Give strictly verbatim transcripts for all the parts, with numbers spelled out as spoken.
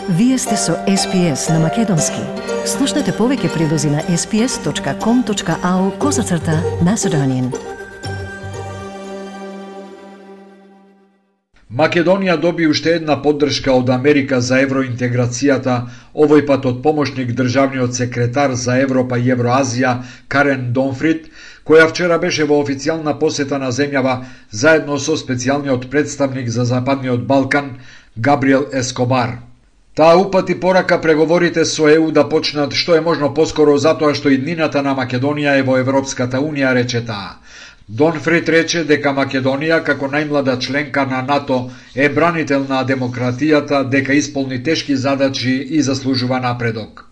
Вие сте со Ес Пи Ес на Македонски. Слушнете повеќе прилози на ес пи ес точка ком точка ау козацрта Macedonian. Македонија доби уште една поддршка од Америка за евроинтеграцијата, овој пат од помошник државниот секретар за Европа и Евроазија Карен Донфрид, која вчера беше во официјална посета на земјава заедно со специјалниот представник за Западниот Балкан Габриел Ескобар. Таа упати порака преговорите со Е У да почнат што е можно поскоро затоа што иднината на Македонија е во Европската Унија, рече таа. Донфрид рече дека Македонија, како најмлада членка на НАТО, е бранител на демократијата, дека исполни тешки задачи и заслужува напредок.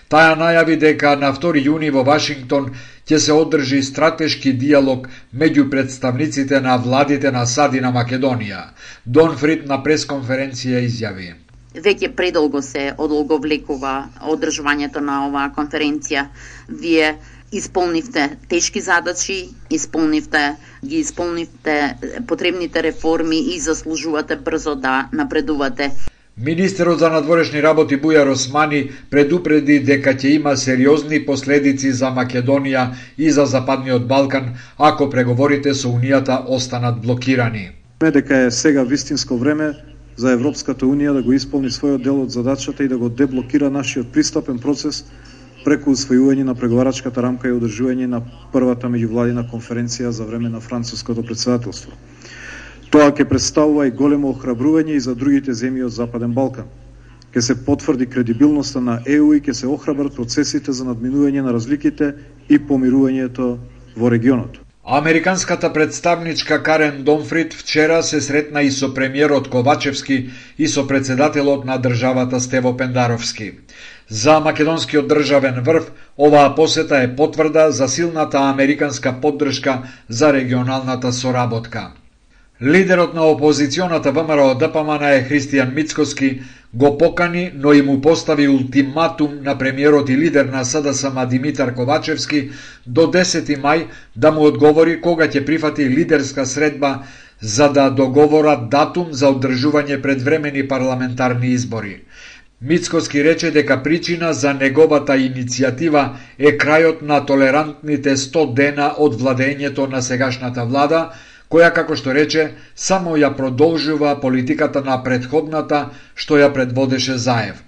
Таа најави дека на втори јуни во Вашингтон ќе се одржи стратешки диалог меѓу представниците на владите на САД и на Македонија. Донфрид на пресконференција изјави: Веќе предолго се одолговлекува одржувањето на оваа конференција. Вие исполнивте тешки задачи, исполнивте, ги исполнивте потребните реформи и заслужувате брзо да напредувате. Министерот за надворешни работи Бујар Османи предупреди дека ќе има сериозни последици за Македонија и за Западниот Балкан ако преговорите со Унијата останат блокирани. Дека е сега вистинско време за Европската Унија да го исполни својот дел од задачата и да го деблокира нашиот пристапен процес преку усвојување на преговарачката рамка и одржување на првата меѓувладина конференција за време на француското претседателство. Тоа ќе представува и големо охрабрување и за другите земји од Западен Балкан. Ќе се потврди кредибилноста на Е У и ќе се охрабрат процесите за надминување на разликите и помирувањето во регионот. Американската представничка Карен Донфрид вчера се сретна и со премиерот Ковачевски и со председателот на државата Стево Пендаровски. За македонскиот државен врв, оваа посета е потврда за силната американска поддршка за регионалната соработка. Лидерот на опозиционата Вэ Ем Ер О Д П М Н е Христијан Мицкоски го покани, но и му постави ултиматум на премиерот и лидер на С Д С М Димитар Ковачевски до десети мај да му одговори кога ќе прифати лидерска средба за да договорат датум за одржување предвремени парламентарни избори. Мицкоски рече дека причина за неговата иницијатива е крајот на толерантните сто дена од владењето на сегашната влада, која, како што рече, само ја продолжува политиката на претходната што ја предводеше Заев.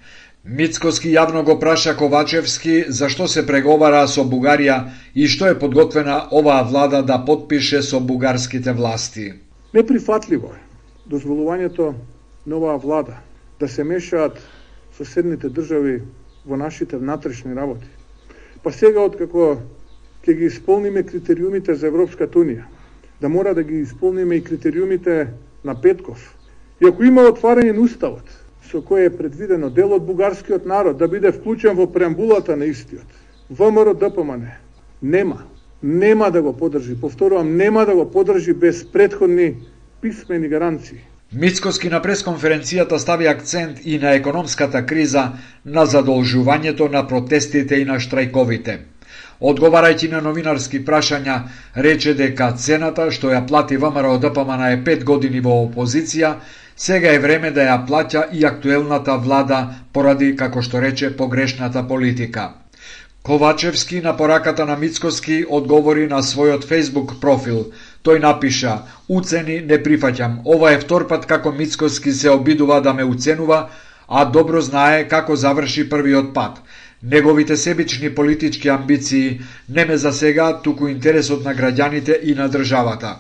Мицкоски јавно го праша Ковачевски зашто се преговара со Бугарија и што е подготвена оваа влада да потпише со бугарските власти. Неприфатливо е дозволувањето на оваа влада да се мешаат соседните држави во нашите внатрешни работи. Па сега, откако ќе ги исполниме критериумите за Европската Унија, да мора да ги исполниме и критериумите на Петков. И ако има отварање на уставот, со кој е предвидено дел од бугарскиот народ да биде вклучен во преамбулата на истиот, Вэ Ем Ер О Д П М Н нема, нема да го поддржи, повторувам, нема да го поддржи без претходни писмени гаранции. Мицкоски на пресконференцијата стави акцент и на економската криза, на задолжувањето на протестите и на штрајковите. Одговарајќи на новинарски прашања, рече дека цената што ја плати Вэ Ем Ер О Д П М Н е пет години во опозиција, сега е време да ја плаќа и актуелната влада поради, како што рече, погрешната политика. Ковачевски на пораката на Мицкоски одговори на својот Facebook профил. Тој напиша: "Уцени не прифаќам. Ова е втор пат како Мицкоски се обидува да ме уценува, а добро знае како заврши првиот пат. Неговите себични политички амбиции не ме засега, туку интересот на граѓаните и на државата.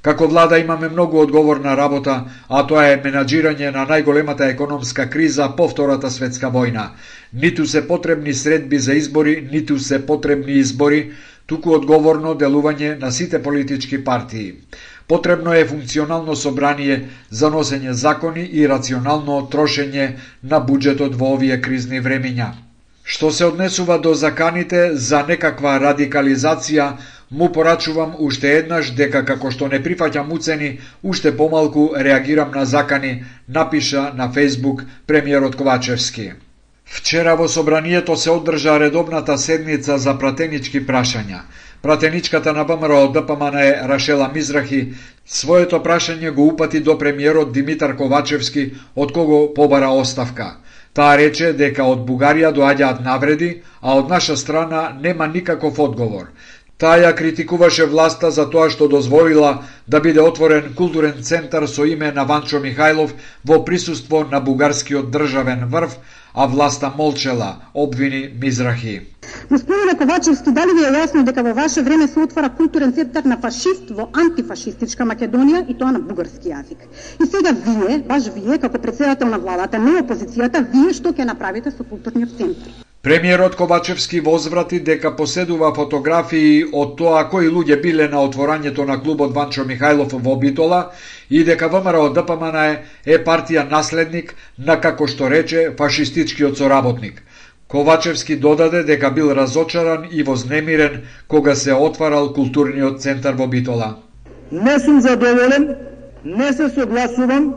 Како влада имаме многу одговорна работа, а тоа е менаџирање на најголемата економска криза по Втората светска војна. Ниту се потребни средби за избори, ниту се потребни избори, туку одговорно делување на сите политички партии. Потребно е функционално собрание за носење закони и рационално трошење на буџетот во овие кризни времиња." Што се однесува до заканите за некаква радикализација, му порачувам уште еднаш дека како што не прифаќам уцени, уште помалку реагирам на закани, напиша на Facebook премиерот Ковачевски. Вчера во собранието се одржа редовната седница за пратенички прашања. Пратеничката на Вэ Ем Ер О Д П М Н е Рашела Мизрахи своето прашање го упати до премиерот Димитар Ковачевски, од кого побара оставка. Таа рече дека од Бугарија доаѓаат навреди, а од наша страна нема никаков одговор. Таа ја критикуваше власта за тоа што дозволила да биде отворен културен центар со име на Ванчо Михајлов во присуство на бугарскиот државен врв, а власта молчела, обвини Мизрахи. Господине Ковачевски, дали ви е јасно дека во ваше време се отвара културен центар на фашист во антифашистичка Македонија и тоа на бугарски јазик? И сега вие, баш вие, како председател на владата, не опозицијата, вие што ќе направите со културниот центар? Премиерот Ковачевски возврати дека поседува фотографии од тоа кои луѓе биле на отворањето на клубот Ванчо Михајлов во Битола и дека ВМРО Д П М Н е, е партија наследник на, како што рече, фашистичкиот соработник. Ковачевски додаде дека бил разочаран и вознемирен кога се отварал културниот центар во Битола. Не сум задоволен, не се согласувам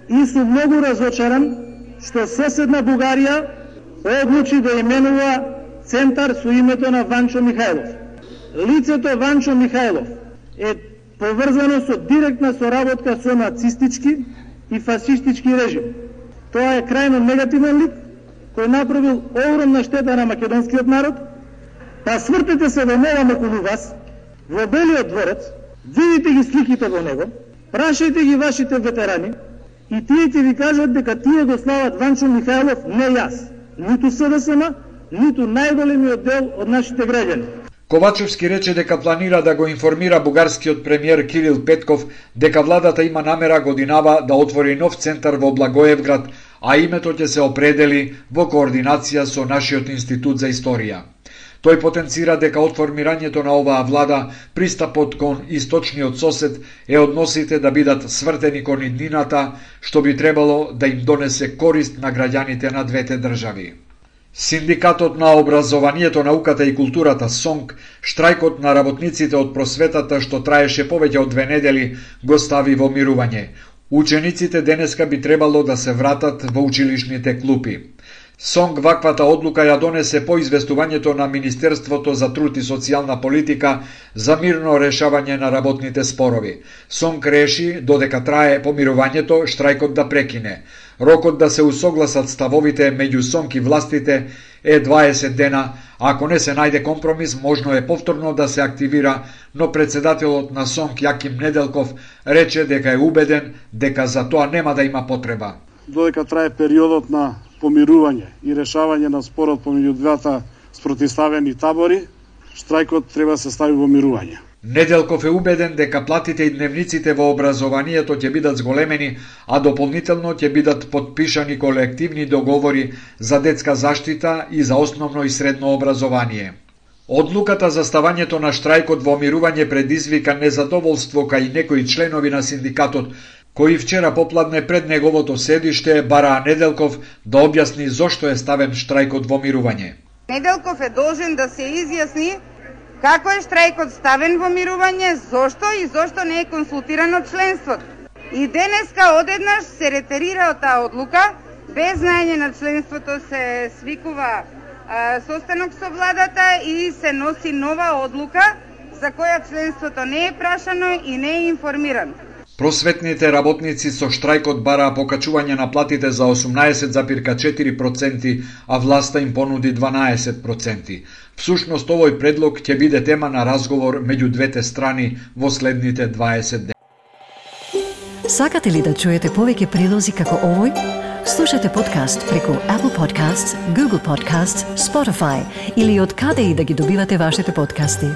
и сум многу разочаран што соседна Бугарија одлучи да именува центар со името на Ванчо Михајлов. Лицето Ванчо Михајлов е поврзано со директна соработка со нацистички и фашистички режим. Тоа е крајно негативен лик кој направил огромна штета на македонскиот народ. Па свртете се во нова околу вас, во Белиот дворец, видите ги сликите во него, прашајте ги вашите ветерани и тие ќе ви кажат дека тие го слават Ванчо Михајлов, не јас, ниту С Д С М, ниту најголемиот дел од нашите граѓани. Ковачевски рече дека планира да го информира бугарскиот премиер Кирил Петков дека владата има намера годинава да отвори нов центар во Благоевград, а името ќе се определи во координација со нашиот институт за историја. Тој потенцира дека од формирањето на оваа влада пристапот кон источниот сосед е односите да бидат свртени кон иднината, што би требало да им донесе корист на граѓаните на двете држави. Синдикатот на образованието, науката и културата СОНК, штрајкот на работниците од просветата што траеше повеќе од две недели, го стави во мирување. Учениците денеска би требало да се вратат во училишните клупи. СОНК ваквата одлука ја донесе по известувањето на Министерството за труд и социјална политика за мирно решавање на работните спорови. СОНК реши, додека трае помирувањето, штрајкот да прекине. Рокот да се усогласат ставовите меѓу СОНК и властите е дваесет дена, а ако не се најде компромис, можно е повторно да се активира, но председателот на СОНК Јаким Неделков рече дека е убеден дека за тоа нема да има потреба. Додека трае периодот на помирување и решавање на спорот помеѓу двата спротивставени табори, штрајкот треба да се стави во мирување. Неделков е убеден дека платите и дневниците во образованието ќе бидат зголемени, а дополнително ќе бидат подпишани колективни договори за детска заштита и за основно и средно образование. Одлуката за ставањето на штрајкот во мирување предизвика незадоволство кај некои членови на синдикатот, кои вчера попладне пред неговото седиште бараа Неделков да објасни зошто е ставен штрајкот во мирување. Неделков е должен да се изјасни како е штрајкот ставен во мирување, зошто и зошто не е консултирано членството. И денеска одеднаш се ретерира од таа одлука, без знаење на членството се свикува а, состанок со владата и се носи нова одлука за која членството не е прашано и не е информирано. Просветните работници со штрајкот бараа покачување на платите за осумнаесет зарез четири проценти, а власта им понуди дванаесет проценти. Всушност овој предлог ќе биде тема на разговор меѓу двете страни во следните дваесет дена. Сакате ли да чуете повеќе прилози како овој? Слушате подкаст преку Apple Podcasts, Google Podcasts, Spotify или од каде и да ги добивате вашите подкасти.